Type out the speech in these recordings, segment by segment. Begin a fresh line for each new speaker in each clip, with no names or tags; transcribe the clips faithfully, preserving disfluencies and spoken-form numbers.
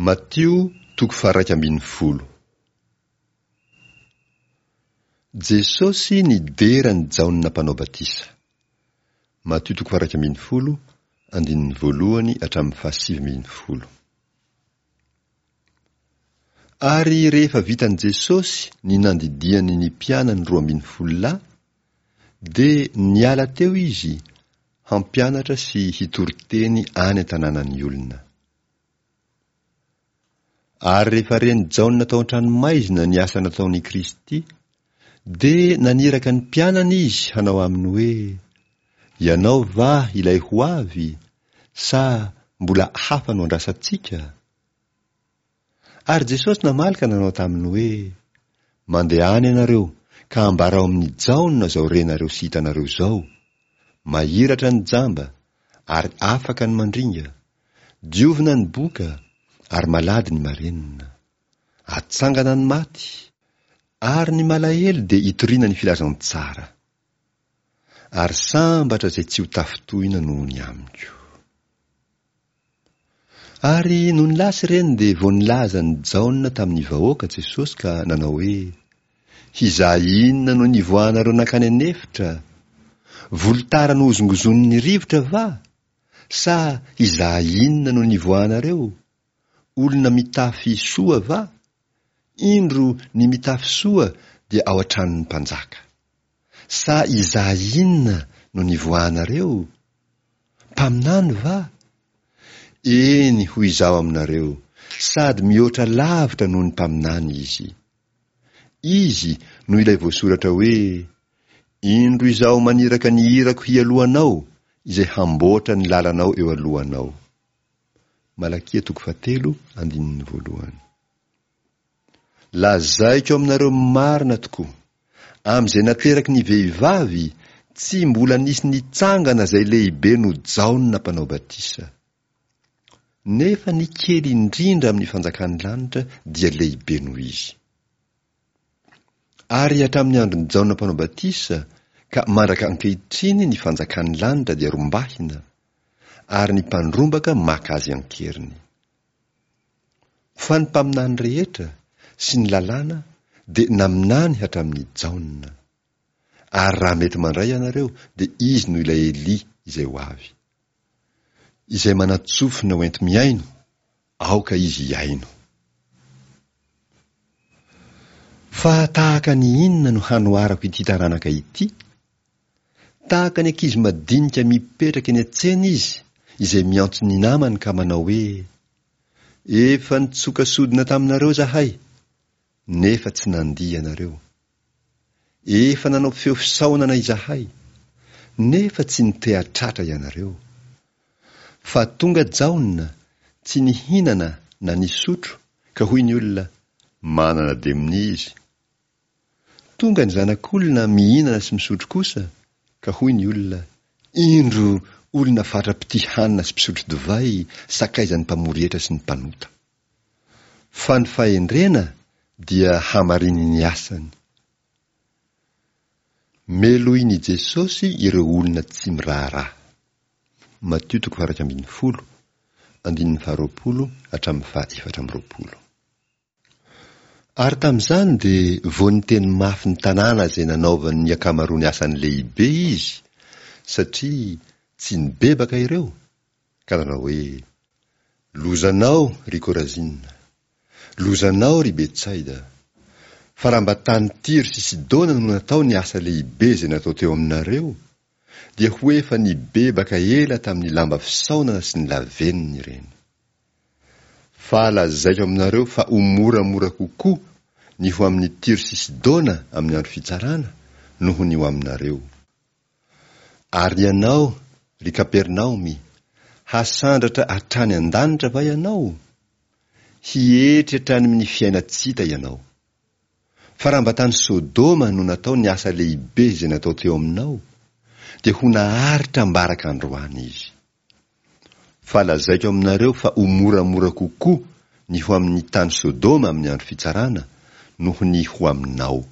Matio toko faha-iraika ambin'ny folo. Jesosy nidera an'i Jaona Mpanao Batisa. Matio toko faha-iraika ambin'ny folo, andininy voalohany hatramin'ny fahasivy ambin'ny folo. Ary rehefa vitan'i Jesosy ny nandidiany ny mpianany roa ambin'ny folo lahy, dia niala teo izy hampianatra sy hitory teny any an-tanànan'ny olona. Ary rehefa ren'i Jaona tao an-tranomaizina ny asa nataon'i Kristy, dia naniraka ny mpianany izy hanao aminy hoe, Ianao va ilay ho avy, sa mbola hafa no andrasantsika? Ary Jesosy namaly ka nanao taminy hoe, Mandehana ianareo ka ambarao amin'i Jaona izao renareo sy hitanareo izao, mahiratra ny jamba, ary afaka ny mandringa, diovina ny boka, ary malady ny marenina. Atsangana ny maty, ary ny malahelo dia itoriana ny filazantsara. Ary sambatra izay tsy ho tafintohina noho ny amiko. Ary nony lasa ireny dia vao nilaza an'i Jaona tamin'ny vahoaka Jesosy ka nanao hoe, Hizaha inona no nivoahanareo nankany an'efitra? Volotara nohozongozonin'ny rivotra va? Sa hizaha inona no nivoahanareo? Olona mitafy soa va? Indro ny mitafy soa dia ao an-tranon'ny mpanjaka. Sa hizaha inona no nivoahanareo? Mpaminany va? Eny, hoy Izaho aminareo, sady mihoatra lavitra noho ny mpaminany izy. Izy no ilay voasoratra hoe, Indro Izaho maniraka ny irako hialoha anao, izay hamboatra ny lalanao eo alohanao. Malakia toko fahatelo, andininy voalohany. Lazaiko aminareo marina tokoa, amin'izay nateraky ny vehivavy, tsy mbola nisy nitsangana izay lehibe noho Jaona Mpanao Batisa. Nefa ny kely indrindra amin'ny fanjakan'ny lanitra dia lehibe noho izy. Ary hatramin'ny andron'i Jaona Mpanao Batisa ka mandraka ankehitriny ny fanjakan'ny lanitra dia rombahina, ary ny mpandrombaka maka azy an-keriny. Fa ny mpaminany rehetra sy ny lalàna dia naminany hatramin'i Jaona. Ary raha mety mandray ianareo dia izy no ilay Elia izay ho avy. Izay manan-tsofina ho enti-mihaino, aoka izy hihaino. Fa tahaka ny inona no hanoharako ity taranaka ity? Tahaka ny ankizy madinika mipetraka eny an-tsena izy, izay miantso ny namany ka manao hoe, Efa nitsoka sodina taminareo izahay, nefa tsy nandihy ianareo. Efa nanao feo fisaonana izahay, nefa tsy niteha-tratra ianareo. Fa tonga Jaona, tsy nihinana na nisotro, ka hoy ny olona, Manana demonia izy. Tonga ny Zanak'olona mihinana sy misotro kosa, ka hoy ny olona, Indro olona fatra-pitia hanina sy mpisotro divay, sakaizan'ny mpamory hetra sy ny mpanota. Fa ny fahendrena dia hamarinin'ny asany. Melohin'i Jesosy ireo olona tsy miraharaha. Matio toko faha-iraika ambin'ny folo, andininy faharoapolo hatramin'ny faha-efatra amby roapolo. Ary tamin'izany dia vao niteny mafy ny tanàna izay nanaovany ny ankamaroany asany lehibe izy, satria tsy nibebaka ireo, ka nanao hoe, Lozanao, ry Korazina! Lozanao, ry Betsaida! Fa raha mba tany Tyro sy Sidona no natao ny asa lehibe izay natao teo aminareo, dia ho efa nibebaka ela tamin'ny lamba fisaonana sy ny lavenona ireny. Fa lazaiko aminareo fa ho moramora kokoa ny ho amin'i Tyro sy Sidona amin'ny andro fitsarana noho ny ho aminareo. Ary ianao, ry Kapernaomy, hasandratra hatrany an-danitra va ianao? Hietry hatrany amin'ny fiainan-tsy hita ianao. Fa raha mba tany Sodoma no natao ny asa lehibe izay natao teo aminao, dia ho naharitra ambaraka androany izy. Fa lazaiko aminareo fa ho moramora kokoa ny ho amin'ny tany Sodoma amin'ny andro fitsarana noho ny ho aminao.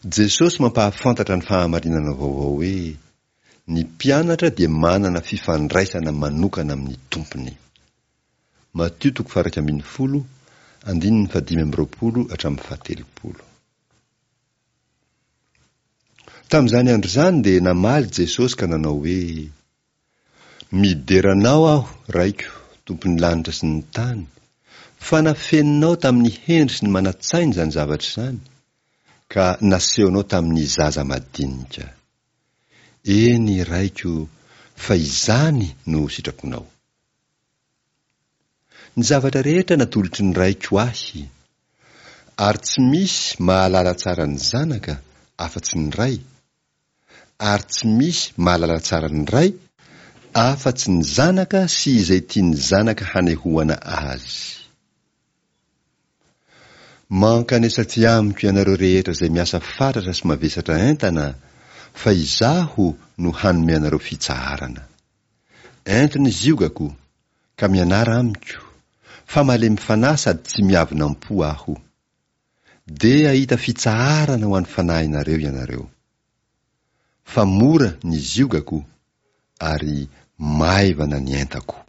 Jesosy mampahafantatra ny fahamarinana vaovao hoe, Ny mpianatra dia manana fifandraisana manokana amin'ny Tompony. Matio toko faha-iraika ambin'ny folo, andininy fahadimy amby roapolo hatramin'ny fahatelopolo. Tamin'izany andro izany dia namaly Jesosy ka nanao hoe, Midera Anao aho, Raiko, Tompon'ny lanitra sy ny tany, fa nafeninao tamin'ny hendry sy ny manan-tsaina izany zavatra izany, ka nasehonao tamin'ny zaza madinika. Eny, Raiko, fa izany no sitraponao. Ny zavatra rehetra natolotry ny Raiko ahy, ary tsy misy mahalala tsara ny Zanaka afa-tsy ny Ray, ary tsy misy mahalala tsara ny Ray afa-tsy ny Zanaka sy izay tian'ny Zanaka hanehoana azy. Mankanesa aty amiko ianareo rehetra izay miasa fatratra sy mavesatra entana, fa izaho no hanome anareo fitsaharana. Ento ny ziogako, ka mianara amiko, fa malemy fanahy sady tsy miavona am-po aho. Dia hahita fitsaharana ho an'ny fanahinareo ianareo. Fa mora ny ziogako, ary maivana ny entako.